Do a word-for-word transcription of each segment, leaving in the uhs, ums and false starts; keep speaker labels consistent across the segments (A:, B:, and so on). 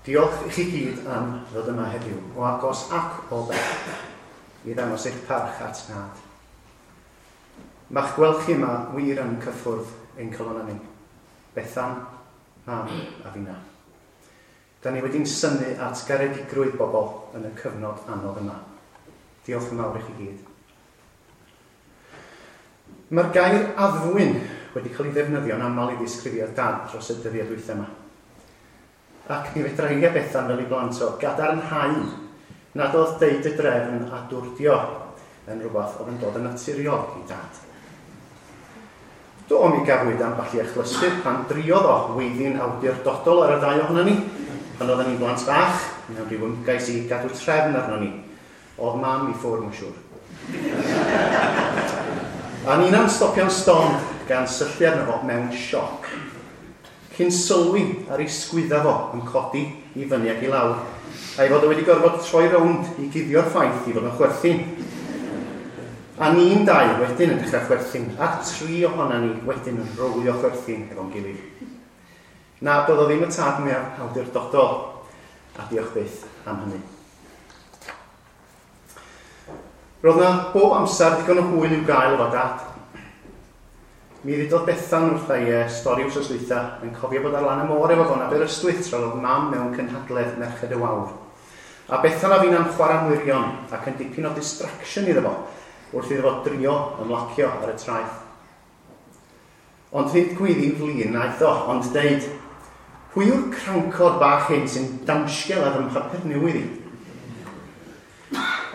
A: Diolch i chi gyd am ddod yma heddiw, o agos ac o bell, i ddangos eich parch at Nhad. Mae'ch gweld chi yma wir yn cyffwrdd ein calonnau ni. Bethan, Mam a finna. Da ni wedi'n synnu at garedigrwydd bobl yn y cyfnod anodd yma. Diolch yn fawr i chi gyd. Mae'r gair addfwyn wedi cael ei ddefnyddio'n aml i ddisgrifio Dad dros y dyddiau dwytha yma. Ac mi fedra i a Bethan fel ei blant o gadarnhau nad oedd deud y drefn a dwrdio yn rhywbeth oedd yn dod yn naturiol i Dad. Do, mi gafwyd ambell i achlysur pan driodd o weiddi'n awdurdodol ar y ddau ohono ni, pan oedden ni'n blant bach, mewn rhyw ymgais i gadw trefn arno ni. Oedd Mam i ffwrdd, mae'n siŵr. A ni'na'n stopio'n stond gan syllu arno fo mewn sioc. Cyn sylwi ar ei sgwydda fo yn codi i fyny ac i lawr, a'i fod o wedi gorfod troi rownd i guddio'r ffaith i fod yn chwerthin. A ni'n dau wedyn yn dechrau chwerthin, a tri ohona ni wedyn yn rowlio chwerthin efo'n gilydd. Na, doedd o ddim y tad mwyaf awdurdodol, a diolch byth am hynny. Roedd na bob amser ddigon o hwyl i'w gael efo Dad. Mi ddudodd Bethan wrtha i e, stori wsos dwytha, yn cofio bod ar lan y môr efo fo'n Aberystwyth tra oedd Mam mewn cynhadledd Merched y Wawr. A Bethan a finna'n chwarae mwrion ac yn dipyn o distraction iddo fo, wrth iddo fo drio ymlacio ar y traeth. Ond nid gwyddi'n flin naeth o, ond deud, pwy yw'r crancod bach hyn sy'n damsgel ar fy mhapur newydd i?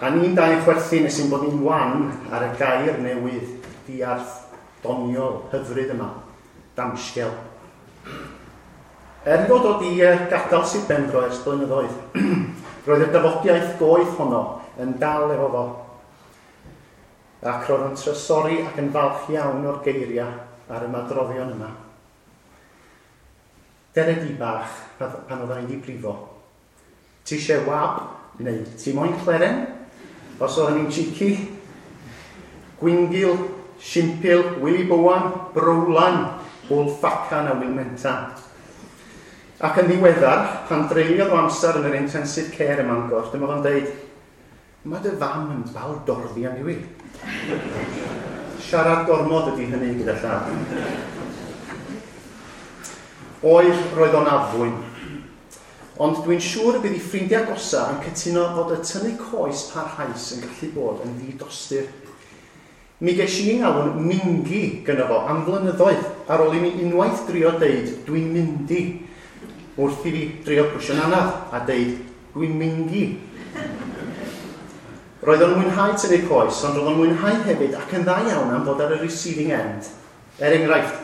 A: A ni'n dau chwerthin nes i'n bod ni'n wan ar y gair newydd, diarth, doniol, hyfryd yma, damsgel. Er fod o di gadael Sir Benfro ers blynyddoedd, roedd y dafodiaeth goeth honno yn dal efo fo. Ac roedd yn trysori ac yn falch iawn o'r geiriau a'r ymadroddion yma. Dere di bach pan oedden ni di brifo. Ti eisiau wab neu ti moyn cleren? Os oedden ni'n cheeky. Gwingil, Simpil, Willy Bowan, Browlan, Bwlffacan a Wilmentan. Ac yn ddiweddar, pan dreuliodd o amser yn yr intensive care ym Mangor, dyma fo'n deud, mae dy fam yn baldorddi am i. Siarad gormod ydy hynny gyda llaw. Oedd, roedd o'n addfwyn. Ond dwi'n siŵr y bydd ei ffrindiau agosa yn cytuno fod y tynnu coes parhaus yn gallu bod yn ddidostur. Mi ges i'n alw'n mingi gynno fo am flynyddoedd ar ôl i mi unwaith drio deud dwi'n myndi wrth i fi drio brwsio'n anaf a deud dwi'n mingi. Roedd o'n mwynhau tynnu coes, ond roedd o'n mwynhau hefyd ac yn dda iawn am fod ar y receiving end. Er enghraifft,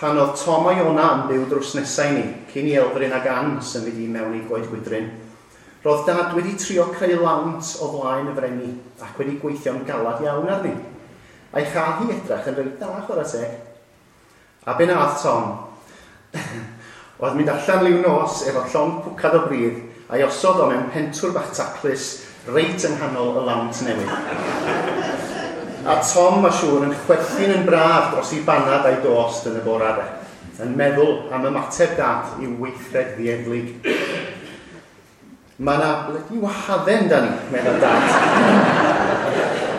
A: pan oedd Tom a Iona yn byw drws nesau ni, cyn i Elfryn ag Ann symud i mewn i Goed Gwydryn, roedd Dad wedi trio creu lawnt o flaen y frenni ac wedi gweithio'n galad iawn arni. A'i chael hi edrach yn reit dda, chwarae teg. A be nath Tom? Oedd mynd allan liw nos efo llond pwcad o bridd a'i osod o mewn pentwr bach taclus reit yng nghanol y lawnt newydd. A Tom, mae siŵr, yn chwerthin yn braf dros ei banad a'i dost yn y bora de, yn meddwl am ymateb Dad i'w weithred ddieflig. Mae yna blydi wahadden da ni, meddwl Dad.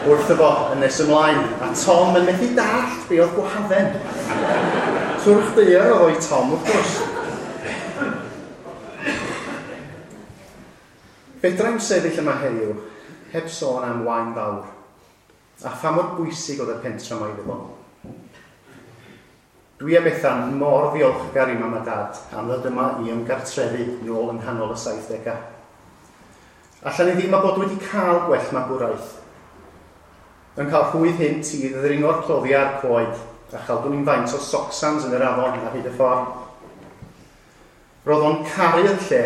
A: Wrtho fo yn nes ymlaen, a Tom yn methu dallt be oedd gwahadden. Twrch daear oedd o'i Tom, wrth gwrs. Fedra i'm sefyll yma heddiw, heb sôn am wain fawr, a pha mor bwysig oedd y pentra yma iddo fo. Dwi a Bethan mor ddiolchgar i Mam a Dad am ddod yma i ymgartrefu nôl yng nghanol y saithdegau. Allan ni ddim a bod wedi cael gwell magwraeth. Yn cael rhwydd hynt i ddringo'r cloddiau a'r coed a chael dwn i'n faint o socsans yn yr afon ar hyd y ffordd. Roedd o'n caru'r lle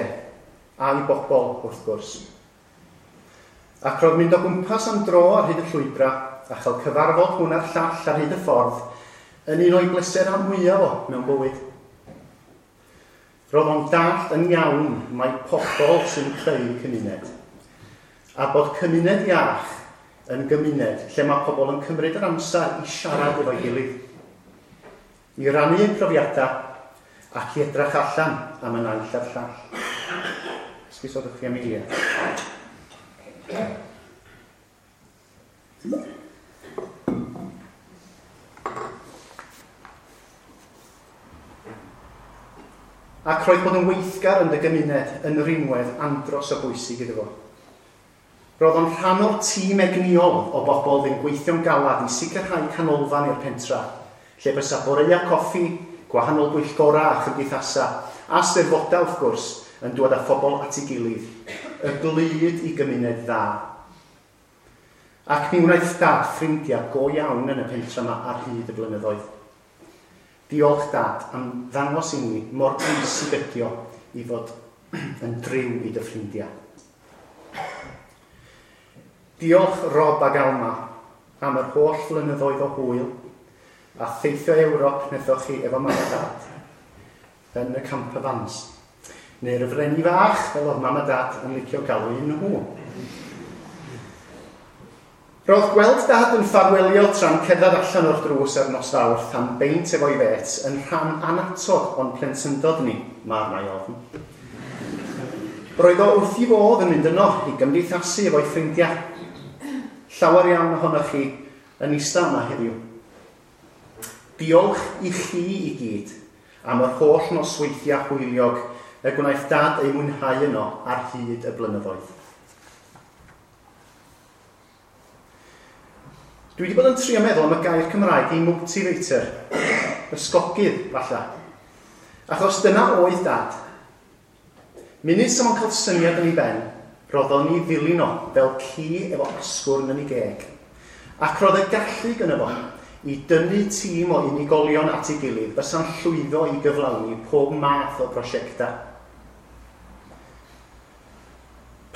A: a'i bobl, wrth gwrs. Ac roedd mynd o gwmpas am dro ar hyd y llwybrau a chael cyfarfod hwn a'r llall ar hyd y ffordd yn un o'i bleserau mwyaf o mewn bywyd. Roedd o'n dallt yn iawn mai pobl sy'n creu cymuned, a bod cymuned iach yn gymuned lle mae pobl yn cymryd yr amser i siarad efo'i gilydd, i rannu eu profiadau ac i edrych allan am y naill a'r llall. Esgusodwch chi am eiliad. Ac roedd bod yn weithgar yn dy gymuned yn rinwedd andros o bwysig iddo fo. Roedd o'n rhan o'r tîm egnïol o bobl fy'n gweithio'n galad i sicrhau canolfan i'r pentra, lle bysa boreua coffi, gwahanol bwyllgora a chymdeithasa, a steddfodau wrth gwrs, yn dod â phobl at ei gilydd, y glud i gymuned dda. Ac mi wnaeth Dad ffrindiau go iawn yn y pentra yma ar hyd y blynyddoedd. Diolch Dad am ddangos i ni mor bwysig ydi o i fod yn driw i dy ffrindiau. Diolch Rob ag Alma am yr holl flynyddoedd o hwyl a theithio Ewrop wnaethoch chi efo mam a Dad yn y camper vans. Neu'r freni fach, fel oedd mam a Dad yn licio galw un nhw. Roedd gweld Dad yn ffarwelio tra'n cerdded allan o'r drws ar nos Fawrth am beint efo'i fêts yn rhan annatod o'n plentyndod ni, mae arna i ofn. Roedd o wrth i fodd yn mynd yno i gymdeithasu efo'i ffrindiau. Llawer iawn ohonoch chi yn eista yma heddiw. Diolch i chi i gyd am yr holl nosweithiau hwyliog y gwnaeth Dad ei mwynhau yno ar hyd y blynyddoedd. Dwi wedi bod yn trio meddwl am y gair Cymraeg i motivator, ysgogydd, falle. Achos dyna oedd Dad. Munud sa fo'n cael syniad yn ei ben, roedd ni ddilyn o fel ci efo asgwrn yn ei geg. Ac roedd y gallu gynno fo i dynnu tîm o unigolion at ei gilydd fysa'n llwyddo i gyflawni pob math o brosiectau.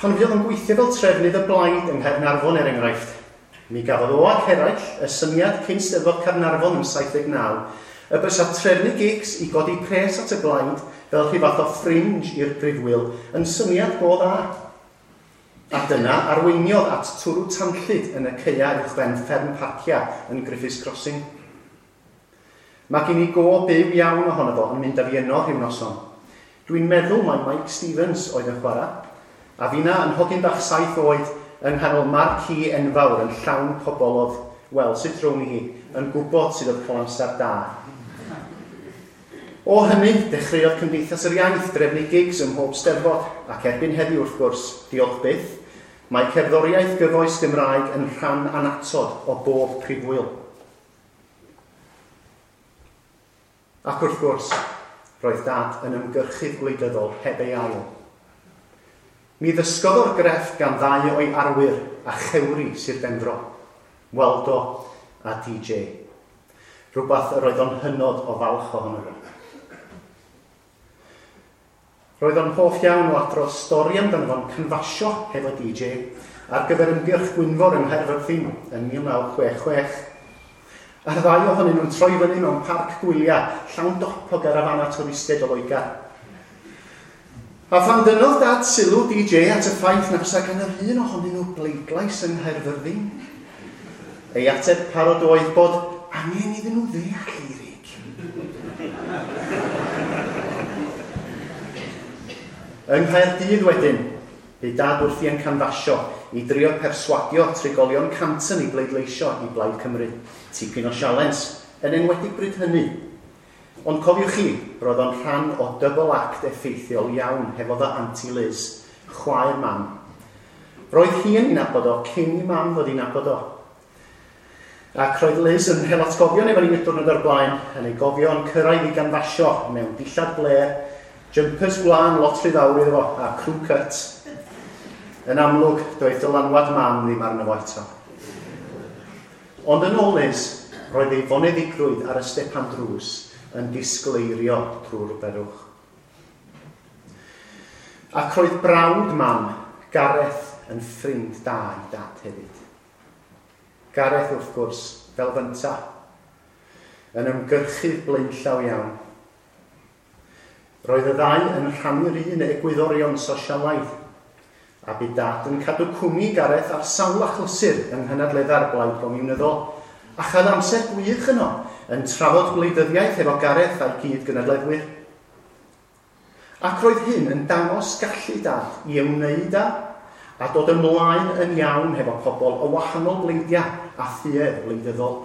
A: Pan fuodd yn gweithio fel trefnydd y blaid yng Nghaernarfon er enghraifft, mi gafodd o ac eraill y syniad cyn Steddfod Caernarfon yn saith deg naw y bysa trefnu gigs i godi pres at y blaid fel rhyw fath o fringe i'r brifwyl yn syniad go dda. A dyna arweiniodd at twrw tanllyd yn y caeau uwchben fferm Parcia yn Griffiths Crossing. Mae gen i go byw iawn ohono fo yn mynd â fi yno rhyw noson. Dwi'n meddwl mai Mike Stevens oedd yn chwarae, a finna yn hogyn bach saith oed yng nghanol marquee enfawr yn llawn pobl oedd, wel, sut rown i hi, yn gwybod sydd oedd cael amser da. O hynny, dechreuodd Cymdeithas yr Iaith drefnu gigs ym mhob steddfod, ac erbyn heddiw wrth gwrs, diolch byth, mae cerddoriaeth gyfoes Gymraeg yn rhan annatod o bob prifwyl. Ac wrth gwrs, roedd Dad yn ymgyrchydd gwleidyddol heb ei ail. Mi ddysgodd o'r grefft gan ddau o'i arwyr a chewri Sir Benfro, Waldo a D J. Rhywbeth yr oedd o'n hynod o falch ohono fo. Roedd o'n hoff iawn o adrodd stori amdano fo'n cynfasio hefo D J ar gyfer ymgyrch Gwynfor yng Nghaerfyrddin yn mil naw chwech chwech. A'r ddau ohonyn nhw'n troi fyny mewn parc gwyliau llawn dop o garafana twristiaid o Loegr. A phan dynnodd Dad sylw D J at y ffaith na fysa gan yr un ohonyn nhw bleidlais yng Nghaerfyrddin, ei ateb parod oedd bod angen iddyn nhw ddeall Eirig. Yng Nghaerdydd wedyn, bu Dad wrthi yn canfasio i drio perswadio trigolion Canton i bleidleisio i Blaid Cymru. Tipyn o sialens, yn enwedig bryd hynny. Ond cofiwch chi, roedd o'n rhan o double act effeithiol iawn hefo fy Auntie Liz, chwaer mam. Roedd hi yn ei nabod o cyn i mam ddod i nabod o. Ac roedd Liz yn hel atgofion efo ni diwrnod o'r blaen, yn ei gofio yn cyrraedd i ganfasio mewn dillad blêr, jumpers gwlân lot rhy fawr iddo fo, a crew cut. Yn amlwg, doedd dylanwad mam ddim arno fo eto. Ond yn ôl Liz, roedd ei foneddigrwydd ar y stepan drws yn disgleirio drwy'r berwch. Ac roedd brawd mam, Gareth, yn ffrind da i Dad hefyd. Gareth, wrth gwrs, fel fynta, yn ymgyrchydd blaenllaw iawn. Roedd y ddau yn rhannu'r un egwyddorion sosialaidd, a bu Dad yn cadw cwmni Gareth ar sawl achlysur yng nghynadledda'r Blaid Gomiwnyddol, a chael amser gwych yno yn trafod gwleidyddiaeth efo Gareth a'i gyd-gynadleddwyr. Ac roedd hyn yn dangos gallu Dad i ymwneud â a dod ymlaen yn iawn hefo pobl o wahanol bleidiau a thuedd wleidyddol.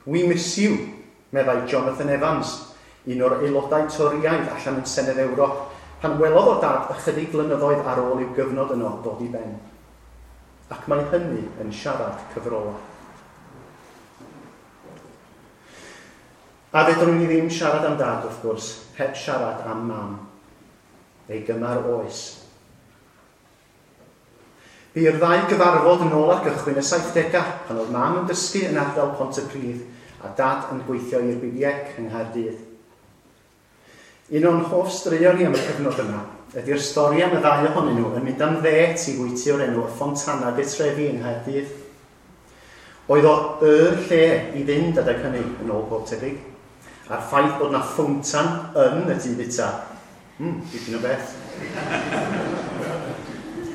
A: "We miss you," meddai Jonathan Evans, un o'r aelodau Torïaidd allan yn Senedd Ewrop, pan welodd o Dad ychydig flynyddoedd ar ôl i'w gyfnod yno ddod i ben. Ac mae hynny yn siarad cyfrolau. A fedrwn ni ddim siarad am Dad, wrth gwrs, heb siarad am Mam, ei gymar oes. Bu i'r ddau gyfarfod yn ôl ar gychwyn y saithdegau, pan oedd Mam yn dysgu yn ardal Pontypridd a Dad yn gweithio i'r B B C yng Nghaerdydd. Un o'n hoff straeon ni am y cyfnod yma ydy'r stori am y ddau ohonyn nhw yn mynd am ddêt i fwyty o'r enw y Fontana de Trevi yng Nghaerdydd. Oedd o y lle i fynd adeg hynny, yn ôl pob tebyg, a'r ffaith bod na ffowntan yn y tŷ bwyta. Hmm, dipyn o beth.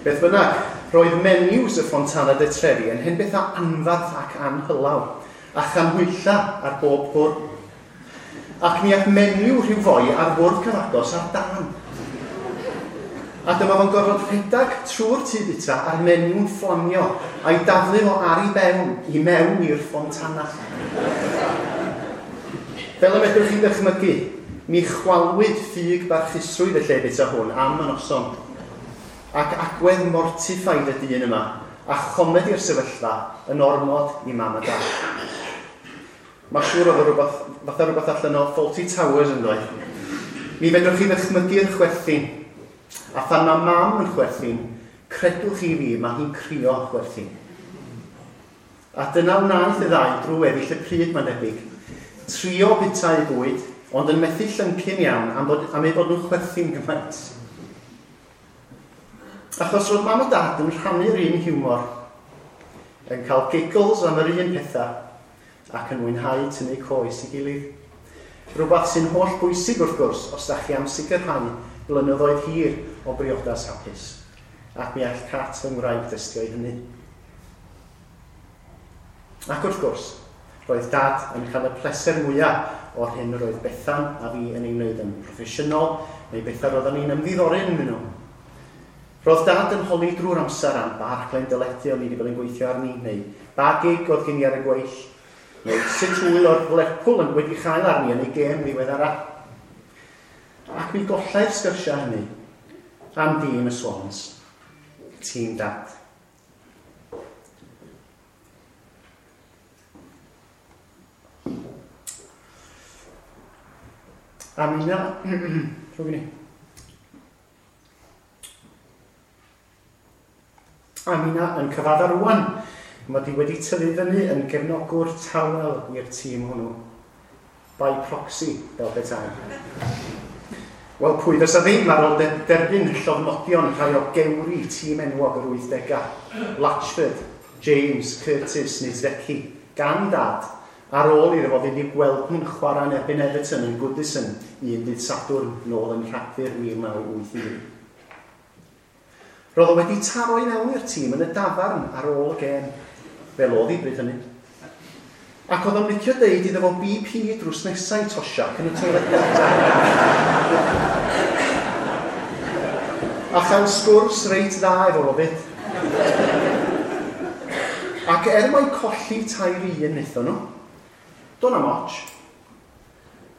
A: Beth bynnag, roedd menus y Fontana de Trevi yn hen bethau anfarth ac anhylaw, a chanhwylla ar bob bwrdd. Ac mi aeth menyw rhyw foi ar fwrdd cyfagos ar dân. A dyma fo'n gorfod rhedeg trwy'r tŷ bwyta a'r menyw'n fflamio a'i daflu fo ar ei bewn i mewn i'r Fontana. Fel y medrwch chi ddychmygu, mi chwalwyd ffug barchusrwydd y lle bwyta hwn am y noson. Ac agwedd mortified y dyn yma, a chomedi'r sefyllfa yn ormod i Mam a Dad. Mae siŵr oedd rhywbeth, fatha rhywbeth allan o Fawlty Towers yn dweud. Mi fedrwch chi ddychmygu'r chwerthin. A phan mae Mam yn chwerthin, credwch chi fi, mae hi'n crio chwerthin. A dyna wnaeth y ddau drwy weddill y pryd, mae'n debyg. Trio bwyta eu bwyd, ond yn methu llyncu'n iawn am, bod, am eu bod nhw'n chwerthin gymaint. Achos roedd Mam a Dad yn rhannu'r un hiwmor, yn cael giggles am yr un pethau, ac yn mwynhau tynnu coes i gilydd. Rhywbeth sy'n holl bwysig wrth gwrs os da chi am sicrhau blynyddoedd hir o briodas hapus. Ac mi all Cat fy ngwraig dystio i hynny. Ac wrth gwrs, roedd Dad yn cael y pleser mwyaf o'r hyn roedd Bethan a fi yn ei wneud yn proffesiynol, neu bethau roeddwn ni'n ymddiddori ynddyn nhw. Roedd Dad yn holi drwy'r amser am ba raglen deledu o'n i wedi bod yn gweithio arni, neu ba gig oedd gen i ar y gweill, neu sut hwyl oedd Lerpwl yn wedi chael arni yn ei gêm ddiweddara. Ac mi gollai'r sgyrsiau hynny am dîm y Swans, tîm Dad. A mi na... Rhwng i. A mi na yn cyfadda rwan. Mae di wedi tyfu fyny yn gefnogwr tawel i'r tîm hwnnw. By proxy, fel petai. Wel, pwy fysa ddim ar ôl derbyn llofnodion rhai o gewri tîm enwog yr wythdegau. Latchford, James, Curtis neu Zeki, gan Dad, ar ôl iddo fo fynd i gweld nhw'n chwarae yn erbyn Everton yn Goodison un dydd Sadwrn nôl yn Rhagfyr mil naw wyth un. Roedd o wedi taro i mewn i'r tîm yn y dafarn ar ôl y gêm, fel oedd hi bryd hynny. Ac oedd o'n licio deud iddo fo B P drws nesau Toshack yn y toiledau. A chael sgwrs reit dda efo fo fyd. Ac er mai colli tair un wnaethon nhw, do' na'm ots.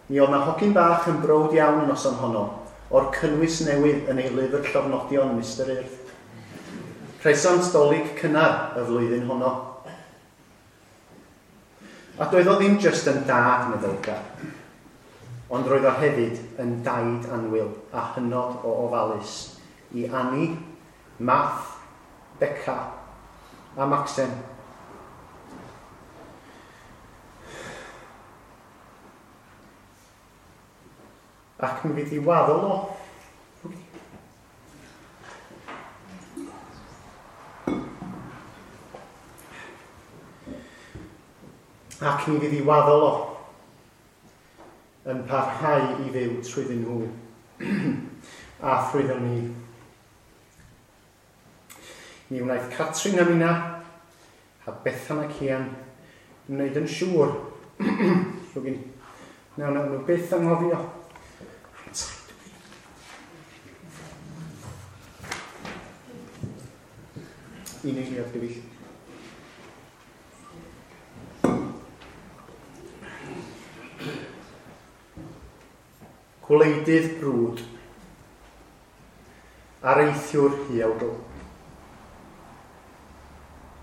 A: Mi oedd na hogyn bach yn browd iawn y noson honno, o'r cynnwys newydd yn ei lyfr llofnodion Mister Urdd. Presant Dolig cynnar y flwyddyn honno. A doedd o ddim jyst yn dad meddylgar, ond roedd o hefyd yn daid annwyl a hynod o ofalus i Annie, Math, Beca a Maxen. Ac mi fydd i waddol o. Ac mi fydd i waddol o yn parhau i fyw trwyddyn nhw a thrwyddyn ni. Mi wnaeth Catrin a minna a Bethan ac Ian wneud yn siŵr. Rhywun, nawn nhw byth anghofio. Un eiliad, gyfeill. Gwleidydd brwd, areithiwr huawdl.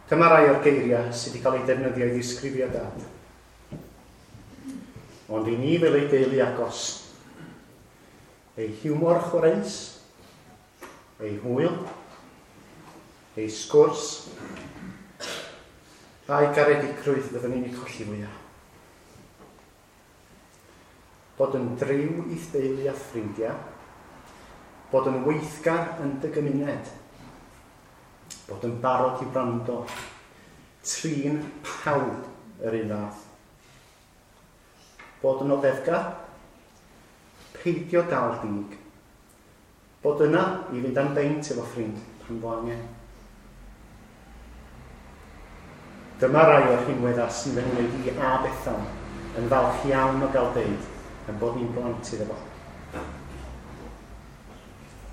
A: Dyma rai o'r geiriau sydd wedi cael eu defnyddio i ddisgrifio Dad. Ond i ni fel ei deulu agos, ei hiwmor chwareus, ei hwyl, ei sgwrs, a'i garedigrwydd fyddwn ni'n ei colli fwyaf. Bod yn driw i'th deulu a ffrindiau, bod yn weithgar yn dy gymuned, bod yn barod i wrando, trin pawb yr un fath. Bod yn oddefgar, peidio dal dig, bod yna i fynd am beint efo ffrind pan fo angen. Dyma rai o'r rhinweddau sy'n fy ngwneud i a Bethan yn falch iawn o gael deud yn bod ni'n blant iddo fo.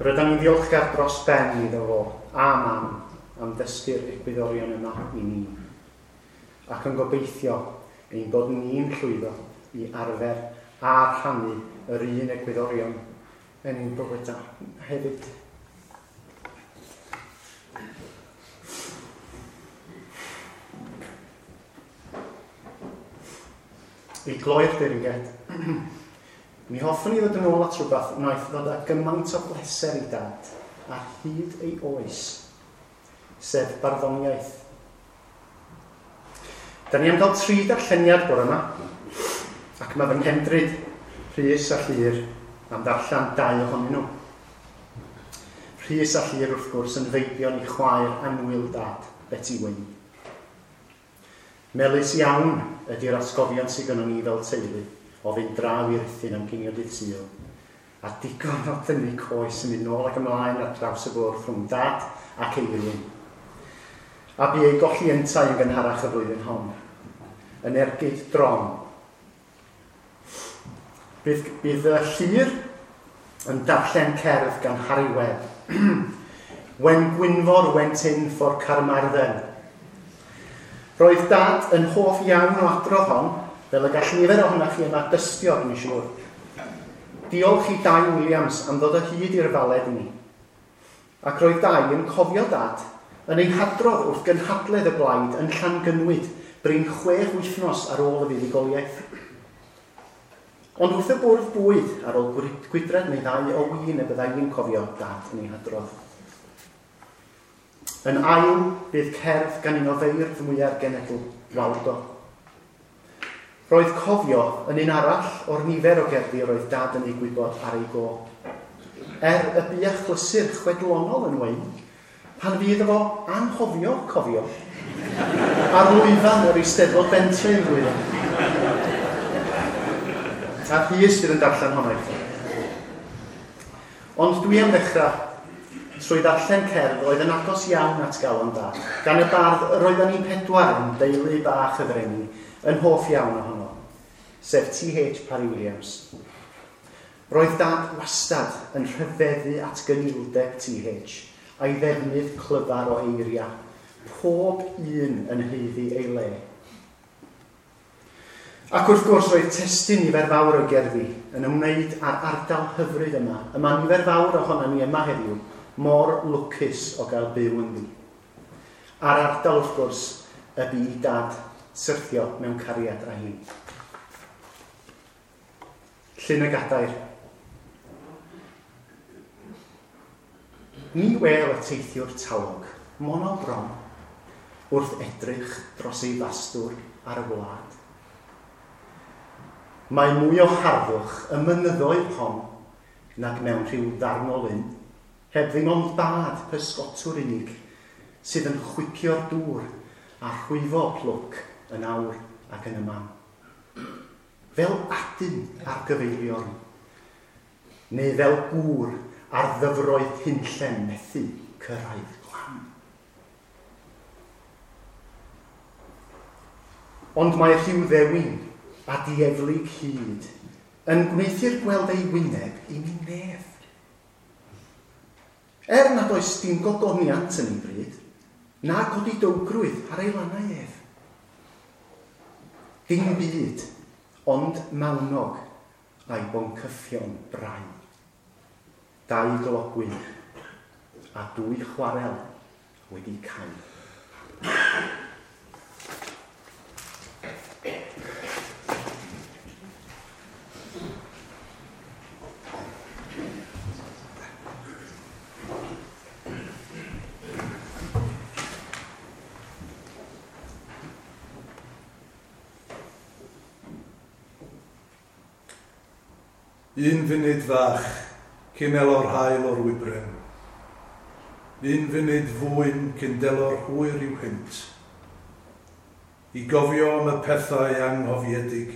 A: Rydan ni'n ddiolchgar dros ben iddo fo a Mam am ddysgu'r egwyddorion yma i ni, ac yn gobeithio ein bod ni'n llwyddo i arfer a rhannu yr un egwyddorion yn ein bywydau hefyd. I gloi'r deyrnged, mi hoffwn i ddod yn ôl at rhywbeth wnaeth ddod â gymaint o bleser i Dad ar hyd ei oes, sef barddoniaeth. Da ni am gael tri darlleniad bore yma, ac mae fy nghefndryd, Rhys a Llyr, am ddarllen dau ohonyn nhw. Rhys a Llyr, wrth gwrs, yn feibion i chwaer annwyl Dad, Betty Wyn. Melys iawn ydy'r atgofion sydd gynnon ni fel teulu o fynd draw i'r Rhuthun am ginio dydd Sul, a digon o dynnu coes yn mynd nôl ac ymlaen ar draws y bwrdd rhwng Dad ac Eirwyn. A bu ei golli yntau yn gynharach y flwyddyn hon, yn ergyd drom. Bydd, bydd y Llyr yn darllen cerdd gan Harry Webb. When Gwynfor went in for Carmarthen. Roedd Dad yn hoff iawn o adrodd hon, fel y gall nifer ohonoch chi yma dystio, dwi'n siŵr. Diolch i Dai Williams am ddod o hyd i'r faled i ni. Ac roedd Dai yn cofio Dad yn ei hadrodd wrth gynhadledd y blaid yn Llangynwyd, brin chwech wythnos ar ôl y fuddugoliaeth. Ond wrth y bwrdd bwyd, ar ôl gwydred neu ddau o win y byddai i'n cofio Dad yn ei hadrodd. Yn ail, bydd cerdd gan un o feirdd mwyaf genedl, Waldo. Roedd cofio yn un arall o'r nifer o gerddi roedd Dad yn ei gwybod ar ei go. Er y bu achlysur chwedlonol yn wein, pan fydd efo anghofio cofio, ar lwyfan yr Eisteddfod Bentre yn flwyddyn. A Rhys fydd yn darllen honno i chi. Ond dwi am ddechrau trwy ddarllen cerdd oedd yn agos iawn at galon Dad, gan y bardd yr oedden ni pedwar yn deulu bach y Frenni yn hoff iawn ohono, sef T H Parry Williams. Roedd Dad wastad yn rhyfeddu at gynildeb T H a'i ddefnydd clyfar o eiriau, pob un yn haeddu ei le. Ac wrth gwrs roedd testun nifer fawr o gerddi yn ymwneud â'r ardal hyfryd yma, y mae nifer fawr ohonon ni yma heddiw, mor lwcus o gael byw ynddi. A'r ardal wrth gwrs y bu i Dad syrthio mewn cariad â hi. Llyn y Gadair. Ni wel y teithiwr talog, mono bron, wrth edrych dros ei fastwr ar y wlad. Mae mwy o harddwch y mynyddoedd hon nag mewn rhyw ddarn o lyn, heb ddim ond bad pysgotwr unig sydd yn chwipio'r dŵr a rhwyfo plwc yn awr ac yn y man. Fel adyn ar gyfeiliorn, neu fel gŵr ar ddyfroedd hunllen methu cyrraedd glan. Ond mae rhyw ddewin a dieflig hyd yn gwneuthur gweld ei wyneb i mi nef. Er nad oes dim gogoniant yn ei bryd, Na godidowgrwydd ar ei lannau ef. Dim byd, ond mawnog a'i boncyffion brau. Dau glogwyn a dwy chwarel wedi cau.
B: Un funud fach cyn elo'r haul o'r wybren. Un funud fwyn cyn delo'r hwyr i'w hynt. I gofio am y pethau anghofiedig,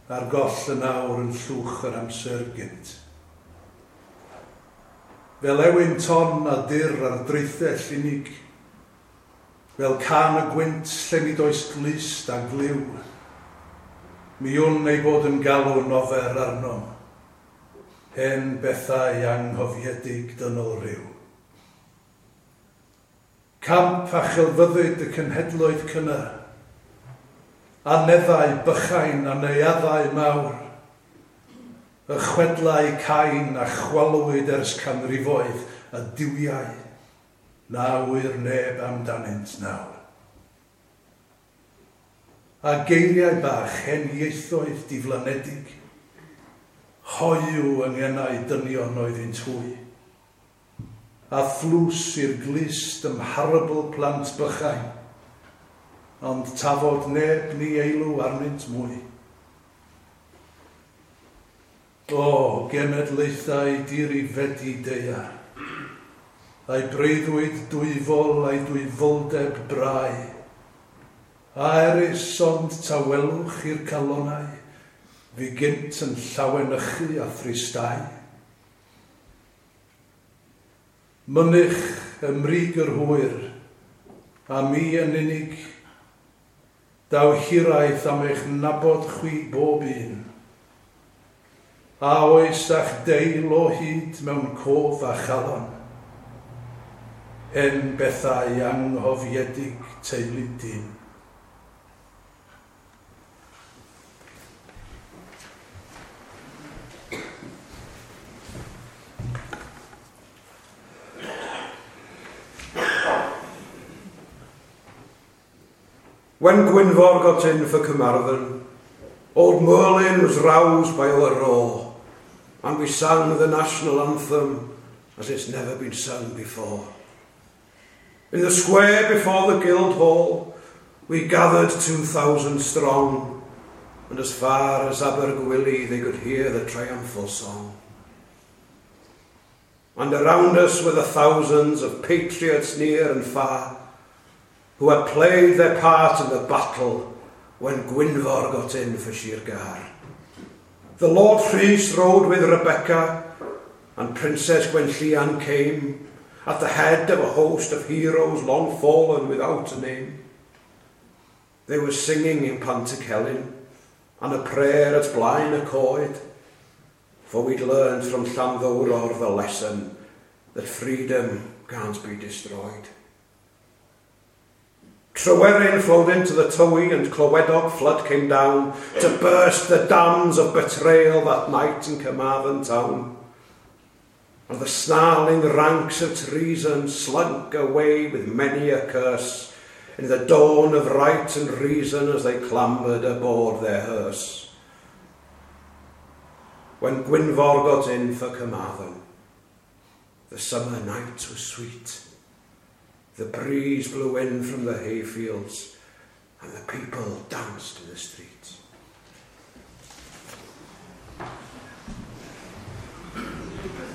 B: a'r goll yn awr yn llwch yr amser gynt. Fel ewyn ton a dur ar draethell unig, fel can y gwynt lle nid oes glust a glyw, mi wn ei bod yn galw nofer arnom, hen bethau anghofiedig dynol rhyw. Camp a chelfyddyd y cenhedloedd cynnar, aneddau bychain a neuaddau mawr, y chwedlau cain a chwalwyd ers canrifoedd a duwiau, na ŵyr neb amdanynt nawr. A geiriau bach hen ieithoedd diflanedig, hoyw yng ngenau dynion oeddynt hwy, a thlws i'r glust ymharabl plant bychain, ond tafod neb ni eilw arnynt mwy. O, genedlaethau dirifedi daear, a'i breuddwyd dwyfol a'i dwyfoldeb brau, a erys ond tawelwch i'r calonau, fi gynt yn llawenychu a thristau. Mynych ym mrig yr hwyr, a mi yn unig, daw hiraeth am eich nabod chwi bob un. A oes a'ch deil o hyd mewn cof a chalon, hen bethau anghofiedig teulu dyn.
C: When Gwynfor got in for Carmarthen, old Merlin was roused by our roar, and we sang the national anthem as it's never been sung before. In the square before the Guildhall, we gathered two thousand strong, and as far as Abergwili they could hear the triumphal song. And around us were the thousands of patriots near and far, who had played their part in the battle when Gwynfor got in for Sir Gâr. The Lord Rhys rode with Rebecca, and Princess Gwenllian came at the head of a host of heroes long fallen without a name. They were singing in Pantycelyn, and a prayer at Blaen y Coed, for we'd learned from Llanddowror the lesson that freedom can't be destroyed. Tryweryn flowed into the Tywi and Clywedog flood came down to burst the dams of betrayal that night in Carmarthen town. And the snarling ranks of treason slunk away with many a curse in the dawn of right and reason as they clambered aboard their hearse. When Gwynfor got in for Carmarthen, the summer night was sweet. The breeze blew in from the hayfields, and the people danced in the streets.